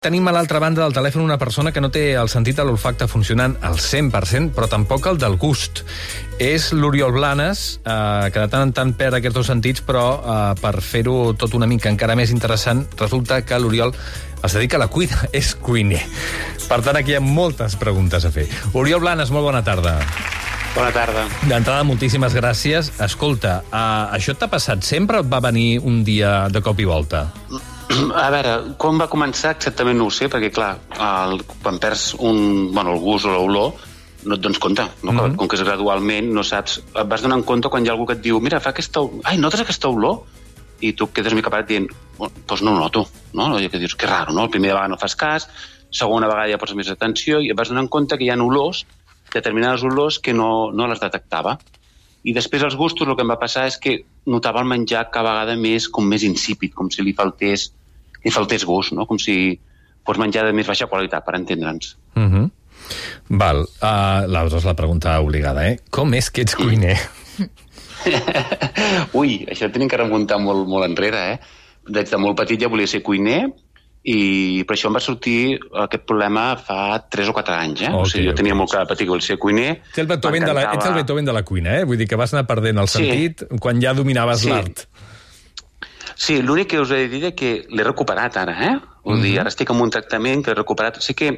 Tenim a l'altra banda del telèfon una persona que no té el sentit de l'olfacte funcionant al 100%, però tampoc el del gust. És l'Oriol Blanes, que de tant en tant perd aquests dos sentits, però per fer-ho tot una mica encara més interessant, resulta que l'Oriol es dedica a la cuina, és cuiner. Per tant, aquí hi ha moltes preguntes a fer. Oriol Blanes, molt bona tarda. Bona tarda. D'entrada, moltíssimes gràcies. Escolta, això t'ha passat sempre o et va venir un dia de cop i volta? A veure, quan va començar exactament no ho sé, perquè clar, quan perds el gust o l'olor, no et dones compte, no? Com que és gradualment, no saps, et vas donant compte quan hi ha algú que et diu, mira, fa aquesta olor, ai, notes aquesta olor? I tu quedes mica parat dient, doncs no ho noto, no? I que dius, que raro, no? La primera vegada no fas cas, segona vegada ja poses més atenció i et vas donant compte que hi ha olors, determinades olors que no les detectava. I després els gustos, el que em va passar és que notava el menjar cada vegada més insípid, com si li faltés gust, no? Com si fos menjar de més baixa qualitat, per entendre'ns. Val. L'altra és la pregunta obligada, Com és que ets cuiner? Ui, això tenim que remuntar molt, molt enrere, Des de molt petit ja volia ser cuiner, i per això em va sortir aquest problema fa 3 o 4 anys, O sigui, jo tenia molt clar de petit que volia ser cuiner. Ets el Beethoven de la cuina, Vull dir que vas anar perdent el sentit quan ja dominaves l'art. Sí, l'únic que us he de dir és que l'he recuperat ara, Vull dir, ara estic en un tractament que l'he recuperat. Sé que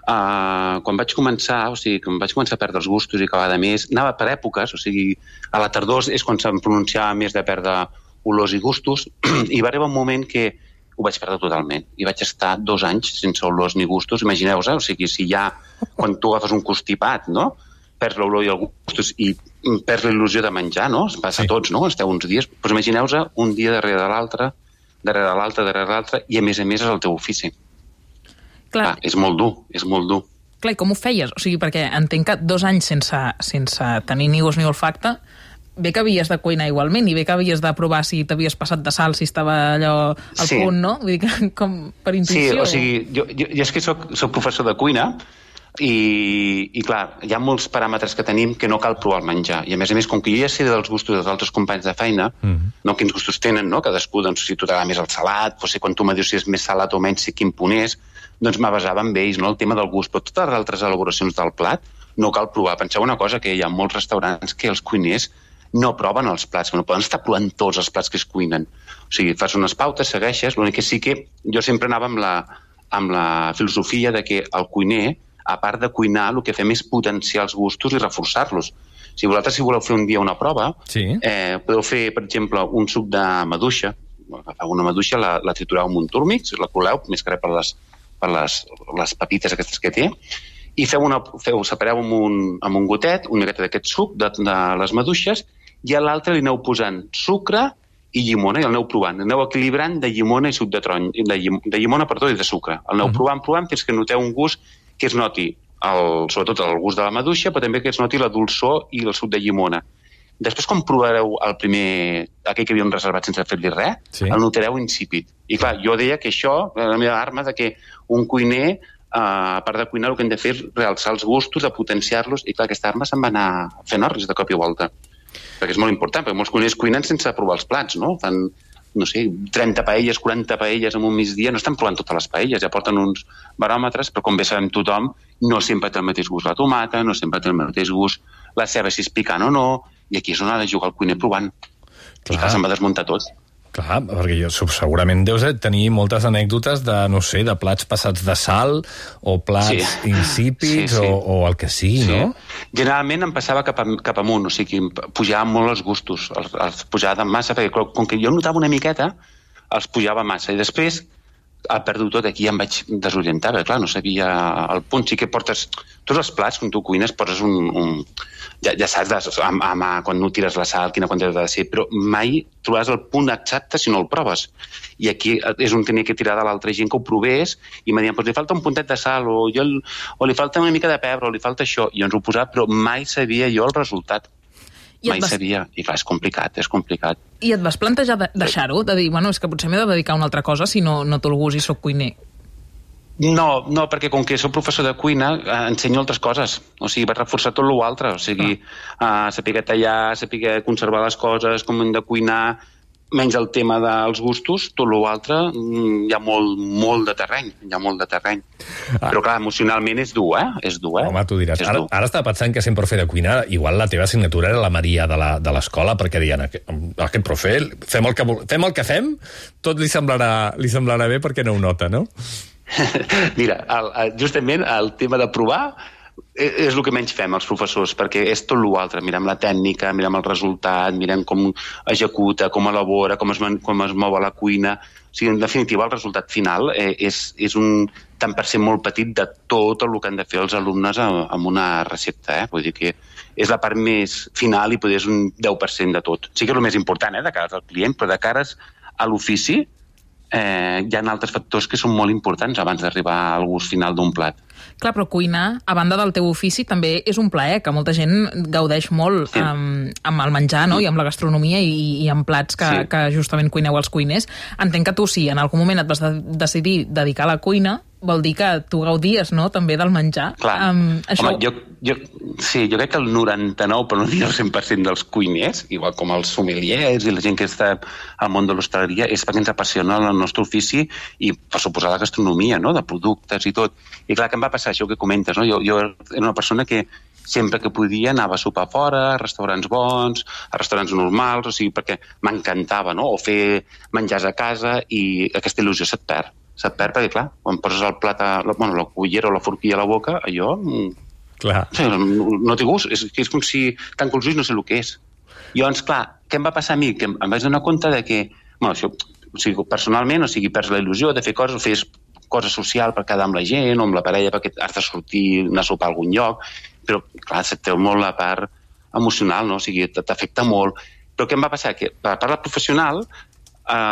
quan vaig començar a perdre els gustos i cada vegada més, anava per èpoques, o sigui, a la tardor és quan se'm pronunciava més de perdre olors i gustos, i va arribar un moment que ho vaig perdre totalment. I vaig estar 2 anys sense olors ni gustos. Imagineu-vos, o sigui, si ja, quan tu agafes un constipat, no?, perds l'olor i els gustos i perds la il·lusió de menjar, no? Es passa a tots, no?, quan esteu uns dies. Doncs imagineu-vos un dia darrere l'altre, i a més és el teu ofici. Clar. És molt dur, és molt dur. Clar, i com ho feies? O sigui, perquè entenc que 2 anys sense tenir ni gust ni olfacte, bé que havies de cuinar igualment, i bé que havies de provar si t'havies passat de sal, si estava allò al punt, no? Vull dir que com per intuïció. Sí, o sigui, jo és que soc professor de cuina, i clar, hi ha molts paràmetres que tenim que no cal provar el menjar, i a més, com que jo ja sé dels gustos dels altres companys de feina, no quins gustos tenen, no? Cadascú, doncs, si tu t'agrada més el salat, potser quan tu me dius si és més salat o menys, sé quin punt és, doncs m'avasava amb ells, no?, el tema del gust, però totes les altres elaboracions del plat no cal provar. Penseu una cosa, que hi ha molts restaurants que els cuiners no proven els plats, que no poden estar provant tots els plats que es cuinen. O sigui, fas unes pautes, segueixes, l'únic que sí que jo sempre anava amb la filosofia de que el cuiner, a part de cuinar, el que fem és potenciar els gustos i reforçar-los. Si vosaltres voleu fer un dia una prova, podeu fer, per exemple, un suc de maduixa. Agafeu una maduixa, la tritureu amb un túrmix, la coleu, més que res per les pepites aquestes que té, i separeu amb un gotet una miqueta d'aquest suc de les maduixes, i a l'altre li aneu posant sucre i llimona, i el aneu provant. Aneu equilibrant de llimona i suc de taronja, de llimona, perdó, i de sucre. El aneu provant fins que noteu un gust que es noti sobretot el gust de la maduixa, però també que es noti la dolçor i el suc de llimona. Després, quan provareu aquell que havíem reservat sense fer-li res, el notareu insípid. I clar, jo deia que això era la meva arma, de que un cuiner, a part de cuinar, el que hem de fer és realçar els gustos, de potenciar-los, i clar, aquesta arma se'n va anar fent orris de cop i volta. Perquè és molt important, perquè molts cuiners cuinen sense provar els plats, no? Fan, no sé, 30 paelles, 40 paelles en un migdia, no estan provant totes les paelles, ja porten uns baròmetres, però com bé sabem tothom, no sempre té el mateix gust la tomata, no sempre té el mateix gust la ceba, si és picant o no, i aquí és on ha de jugar el cuiner provant. I clar, se'n va desmuntar tot. Clar, perquè segurament deus tenir moltes anècdotes de, no sé, de plats passats de sal o plats insípids o el que sigui, no? Generalment em passava cap amunt, o sigui, pujaven molt els gustos, els pujava massa, perquè com que jo notava una miqueta, els pujava massa, i després ha perdut tot, aquí ja em vaig desorientar, perquè clar, no sabia el punt. Sí que portes tots els plats, quan tu cuines, poses ja saps, quan no tires la sal, quina quantitat ha de ser, però mai trobaràs el punt exacte si no el proves. I aquí és on tenia que tirar de l'altra gent que ho provés, i em deien, li falta un puntet de sal, o li falta una mica de pebre, o li falta això, i ens ho posava, però mai sabia jo el resultat. Mai sabia, i clar, és complicat. I et vas plantejar deixar-ho? De dir, bueno, és que potser m'he de dedicar a una altra cosa si no té el gust i soc cuiner. No, perquè com que soc professor de cuina, ensenyo altres coses. O sigui, vaig reforçar tot l'altre. O sigui, saber tallar, saber conservar les coses, com hem de cuinar. menys el tema dels gustos, tot l'altre hi ha molt de terreny, Però clar, emocionalment és dur, És dur, Home, tu diràs. Ara estava pensant que sent profe de cuina, igual la teva assignatura era la Maria de l'escola, perquè deien, aquest profe, fem el que fem, tot li semblarà bé perquè no ho nota, no? Mira, justament el tema de provar és el que menys fem els professors, perquè és tot l'altre. Mirem la tècnica, mirem el resultat, mirem com executa, com elabora, com es mou a la cuina. O sigui, en definitiva, el resultat final és un tant per cent molt petit de tot el que han de fer els alumnes amb una recepta. Vull dir que és la part més final i potser és un 10% de tot. Sí que és el més important, de cara al client, però de cares a l'ofici hi ha altres factors que són molt importants abans d'arribar al gust final d'un plat. Clar, però cuinar, a banda del teu ofici, també és un plaer, que molta gent gaudeix molt amb el menjar, no? I amb la gastronomia i amb plats que justament cuineu els cuiners. Entenc que tu, si en algun moment et vas decidir dedicar a la cuina, vol dir que tu gaudies, no?, també del menjar. Clar. Home, jo crec que el 99, però no dir el 100% dels cuiners, igual com els sommeliers i la gent que està al món de l'hostaleria, és perquè ens apassiona el nostre ofici i, per suposar, la gastronomia, no?, de productes i tot. I clar, que em va passar això que comentes, no? Jo era una persona que sempre que podia anava a sopar fora, a restaurants bons, a restaurants normals, o sigui, perquè m'encantava, no?, o fer menjars a casa, i aquesta il·lusió se't perd perquè, clar, quan poses el plat la cullera o la forquilla a la boca, allò clar. No té gust, és com si tanco els ulls, no sé el que és. Llavors, clar, què em va passar a mi? Que em vaig donar compte de que, això, o sigui, personalment, o sigui, perds la il·lusió de fer coses, o fes cosa social per quedar amb la gent o amb la parella perquè has de sortir, anar a sopar a algun lloc, però, clar, se't treu molt la part emocional, no? O sigui, t'afecta molt. Però què em va passar? Que, per la part professional,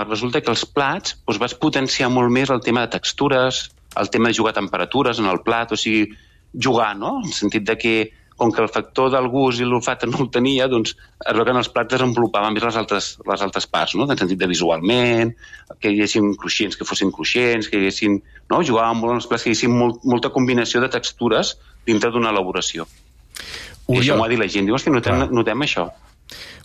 resulta que els plats vas potenciar molt més el tema de textures, el tema de jugar a temperatures en el plat, o sigui, jugar, no? En el sentit de que, com que el factor del gust i l'olfacte no el tenia, doncs es veu que en els plats desenvolupaven més les altres parts, no? En el sentit de visualment, que hi haguessin cruixents, que fossin cruixents, que hi haguessin... No? Jugàvem molt en els plats, que hi haguessin molta combinació de textures dintre d'una elaboració. I això m'ho ha dit la gent. Diu, que notem això.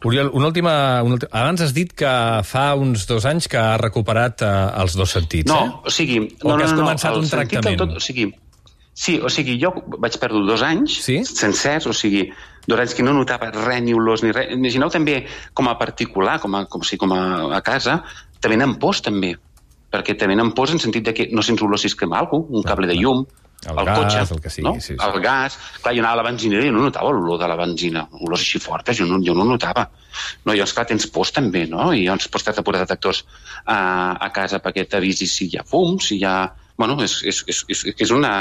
Oriol, una última... Abans has dit que fa uns 2 anys que has recuperat els 2 sentits, No, o sigui... O que has començat un tractament. O sigui, jo vaig perdre 2 anys sencers, o sigui, 2 anys que no notava res, ni olors, ni res. Imagineu també, com a particular, com a casa, te venen pors, també. Perquè te venen pors en sentit de que no sents olor si es crema alguna cosa, un cable de llum, el cotxe, el que sigui, sí. El gas. Clar, jo anava a la benzinera i no notava l'olor de la benzina. Olors així fortes, jo no notava. No, llavors, clar, tens pors també, no? I llavors pots de posar detectors a casa perquè t'avisis si hi ha fum, si hi ha... Bueno, és una...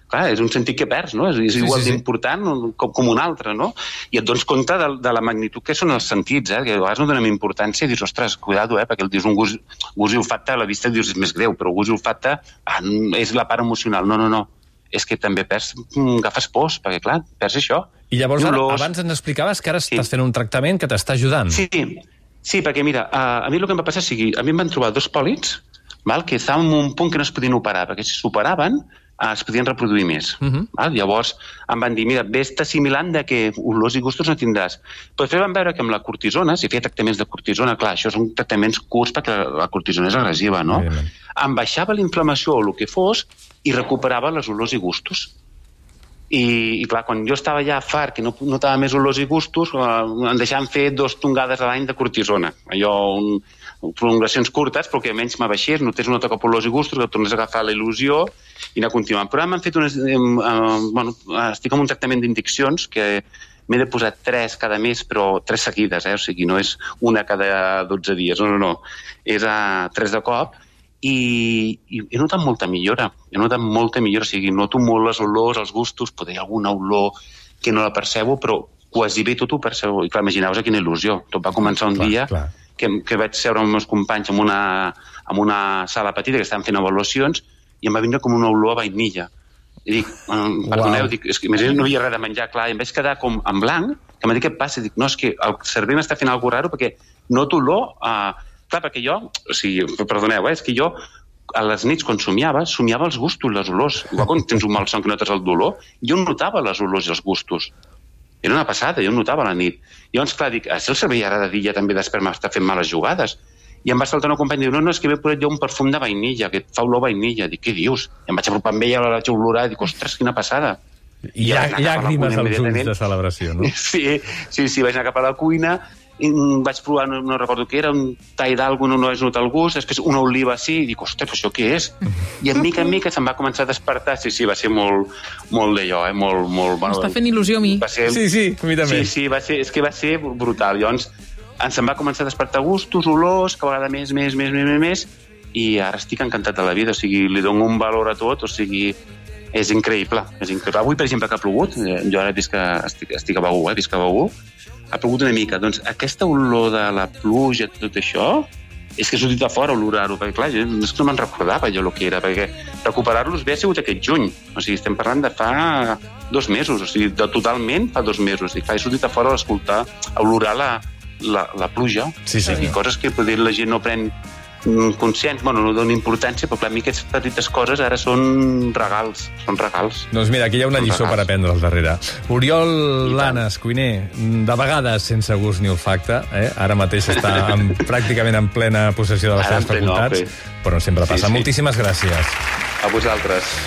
Clar, és un sentit que perds, no? És igual d'important com un altre, no? I et dones compte de la magnitud que són els sentits, que a vegades no donem importància i dius, ostres, cuidado, perquè el dius un gust i olfacte, a la vista dius és més greu, però gust i olfacte és la part emocional. No. És que també agafes pors, perquè, clar, perds això. I llavors, abans ens explicaves que ara estàs fent un tractament que t'està ajudant. Sí, perquè, mira, a mi el que em va passar, a mi em van trobar 2 pòlits que estaven en un punt que no es podien operar, perquè si s'operaven es podien reproduir més. Llavors em van dir, mira, ves assimilant que olors i gustos no tindràs. Però després vam veure que amb la cortisona, si feia tractaments de cortisona, clar, això són tractaments curts perquè la cortisona és agressiva, no? Em baixava la inflamació o el que fos i recuperava les olors i gustos. I clar, quan jo estava ja fart, que no notava més olors i gustos, em deixaven fer 2 tongades a l'any de cortisona. Allò, prolongacions curtes, però que almenys m'abaixés, notés una toca per olors i gustos, que tornés a agafar la il·lusió i anar continuant. Però m'han fet estic en un tractament d'injeccions que m'he de posar 3 cada mes, però 3 seguides, o sigui, no és una cada 12 dies, no. És 3 de cop. I he notat molta millora, o sigui, noto molt les olors, els gustos, potser hi ha alguna olor que no la percebo, però quasi bé tot ho percebo. I clar, imagineu-vos quina il·lusió. Tot va començar un dia que vaig seure amb els meus companys en una sala petita que estaven fent avaluacions i em va vindre com una olor a vainilla. I dic, perdoneu, és que no hi havia res de menjar, clar, i em vaig quedar com en blanc, que m'ha dit què passa? Dic, no, és que el cervell m'està fent alguna cosa raro perquè noto olor clar, perquè jo, o sigui, perdoneu, és que jo a les nits quan somiava els gustos, les olors. Igual quan tens un mal son que notes el dolor, jo notava les olors i els gustos. Era una passada, jo notava a la nit. Llavors, clar, dic, si el cervell ara de dia també després m'està fent males jugades. I em va saltar una companya i diu, no, és que m'he posat jo un perfum de vainilla, que et fa olor a vainilla. Dic, què dius? I em vaig apropar amb ella, la vaig olorar, i dic, ostres, quina passada. I llàgrimes als ulls de celebració, no? Sí, vaig anar cap a la cuina, i vaig provar, no recordo què era, un tall d'algú, no vaig notar el gust, després una oliva així, i dic, ostres, això què és? I en mica se'm va començar a despertar. Sí, va ser molt d'allò, molt... M'està fent il·lusió a mi. Sí, a mi també. Sí, és que va ser brutal. Llavors, se'm va començar a despertar gustos, olors, cada vegada més, i ara estic encantat de la vida, o sigui, li dono un valor a tot, o sigui, és increïble. Avui, per exemple, que ha plogut, jo ara visc a Begur, ha plogut una mica, doncs aquesta olor de la pluja, tot això, és que he sortit a fora a olorar-ho, perquè clar, jo no me'n recordava jo el que era, perquè recuperar-los bé ha sigut aquest juny, o sigui, estem parlant de fa 2 mesos, o sigui, totalment fa 2 mesos, i clar, he sortit a fora a escoltar, a olorar la pluja, i coses que potser la gent no pren conscients, bueno, no dona importància, però clar, a mi aquestes petites coses ara són regals, Doncs mira, aquí hi ha una lliçó per aprendre al darrere. Oriol Blanes, cuiner, de vegades sense gust ni olfacte, ara mateix està pràcticament en plena possessió de les seves facultats, però sempre passa. Moltíssimes gràcies. A vosaltres.